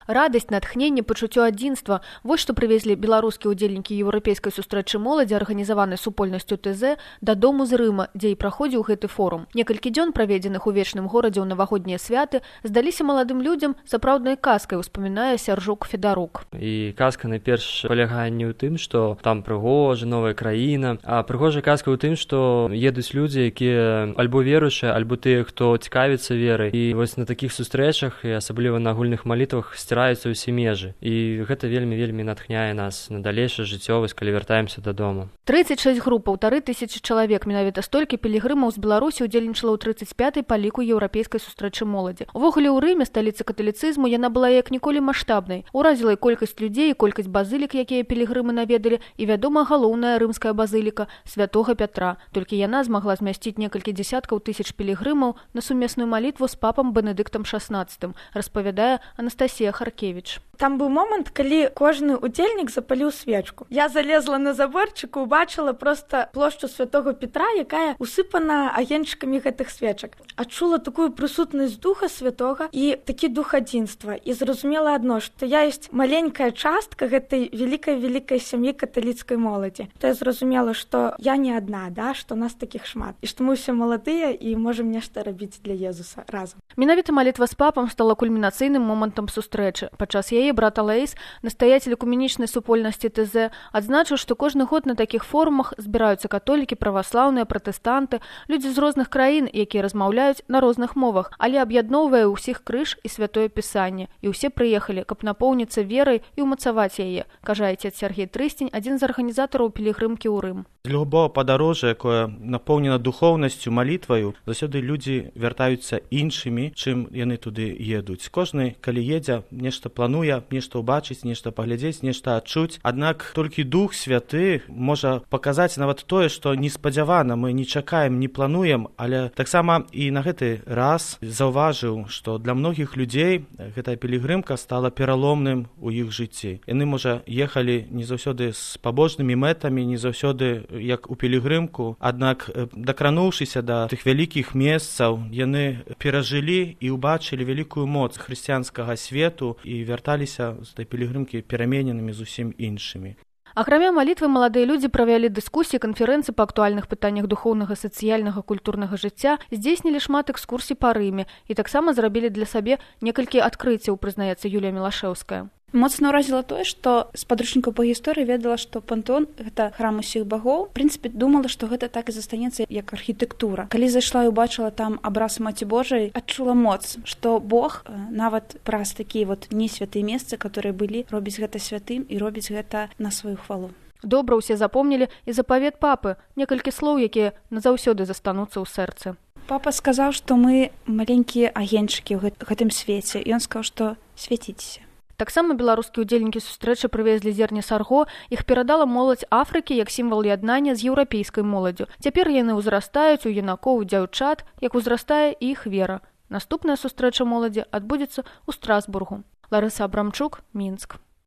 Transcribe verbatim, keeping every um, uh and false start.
Радасць, натхненне, пачуццё адзінства – вось што прывезлі беларускія ўдзельнікі еўрапейскай сустрэчы моладзі, арганізаванай супольнасцю ТЗ, дадому з Рыма, дзе і праходзіў гэты форум. Некалькі дзён, праведзеных у вечным горадзе ў навагоднія святы, здаліся маладым людзям сапраўднай казкай, успамінае Сяржук Федарук. І казка найперш палягае не ў тым, што там прыгожа, новая краіна, а прыгожая казка ў тым, што едуць людзі, якія альбо веруючыя, альбо тыя, хто цікавіцца верай. І вось на такіх сустрэчах, і асабліва на агульных малітвах, сціраюцца ўсе межы. І гэта вельмі-вельмі натхняе нас на далейшае жыццё, вось калі вяртаемся дадому. трыццаць шэсць груп, паўтары тысячы чалавек, менавіта столькі пілігрымаў з Беларусі ўдзельнічала ў трыццаць пятай па ліку еўрапейскай сустрэчы моладзі. Увогуле ў Рыме, сталіцы каталіцызму, яна была як ніколі маштабнай. Уразіла і колькасць людзей, і колькасць базылік, якія пілігрымы наведалі, і, вядома, галоўная рымская базыліка святога Пятра. Толькі яна змагла змясціць некалькі дзесяткаў тысяч пілігрымаў на сумесную малітву з папам Бенедыктам шаснаццатым, распавядае Анастасія Харкевіч. Там быў момант, калі кожны удзельнік запаліў свечку. Я залезла на заборчык і убачыла проста плошчу святого Петра, якая усыпана агеньчыкамі гэтых свечак. Адчула такую прысутнасць духа святога і такі дух адзінства. І зразумела адно, што я ёсць маленькая частка гэтай вялікай-вялікай сям'і каталіцкай моладзі. То я зразумела, што я не адна, да, што нас такіх шмат. І што мы ўсе маладыя і можам нешта рабіць для Езуса разам. Менавіта малітва з папам стала кульмінацыйным момантам сустрэчы. Падчас яе брат Алаіс, настаяцель экуменічнай супольнасці ТЗ, адзначыў, што кожны год на такіх форумах збіраюцца католікі, праваслаўныя, пратэстанты, людзі з розных краін, якія размаўляюць на розных мовах, але аб'ядноўвае ўсіх крыж і святое пісанне. І ўсе прыехалі, каб напоўніцца верай і ўмацаваць яе, кажа отец Сергей Трыстень, адзін з арганізатараў пілігрымкі ў Рым. З любого падарожжа, якое напоўнена духоўнасцю, малітваю, заўсёды людзі вяртаюцца іншымі, чым яны туды едуць. Кожны, калі едзе, нешта плануе, нешта ўбачыць, нешта паглядзець, нешта адчуць. Аднак толькі Дух Святы можа паказаць нават тое, што неспадзявана, мы не чакаем, не плануем, але таксама і на гэты раз заўважыў, што для многіх людзей гэтая пілігрымка стала пераломным у іх жыцці. Яны, можа, ехалі не заўсёды з пабожнымі мэтамі, не заўсёды як у пілігрымку, аднак дакрануўшыся да тых вялікіх месцаў, яны перажылі і ўбачылі вялікую моц хрысціянскага свету і вярталіся з той пілігрымкі перамененымі зусім іншымі. Акрамя малітвы, маладыя людзі правялі дыскусіі, канферэнцыі па актуальных пытаннях духоўнага, сацыяльнага, культурнага жыцця, здзейснілі шмат экскурсій па Рыме і таксама зрабілі для сабе некалькі адкрыццяў, прызнаецца Юлія Мілашэўская. Моцна ўразіла тое, што з падручнікаў па гісторыі ведала, што пантэон – гэта храм усіх багоў. В прынцыпе, думала, што гэта так і застанецца як архітэктура. Калі зайшла і убачыла там абраз Маці Божай, адчула моц, што Бог нават праз такія вот несвятыя месцы, которые былі, робіць гэта святым і робіць гэта на сваю хвалу. Добра ўсе запомнілі і запавет папы, некалькі слоў, якія назаўсёды застануцца ў сэрцы. Папа сказаў, што мы маленькія агеньчыкі ў гэтым свеце, і ён сказаў, што свяціцеся. Таксама беларускія ўдзельнікі сустрэчы прывезлі зерне сарго, іх перадала моладзь Афрыкі як сімвал яднання з еўрапейскай моладдзю. Цяпер яны ўзрастаюць у юнакоў, дзяўчат, як узрастае і іх вера. Наступная сустрэча моладзі адбудзецца ў Страсбургу. Ларыса Абрамчук, Мінск.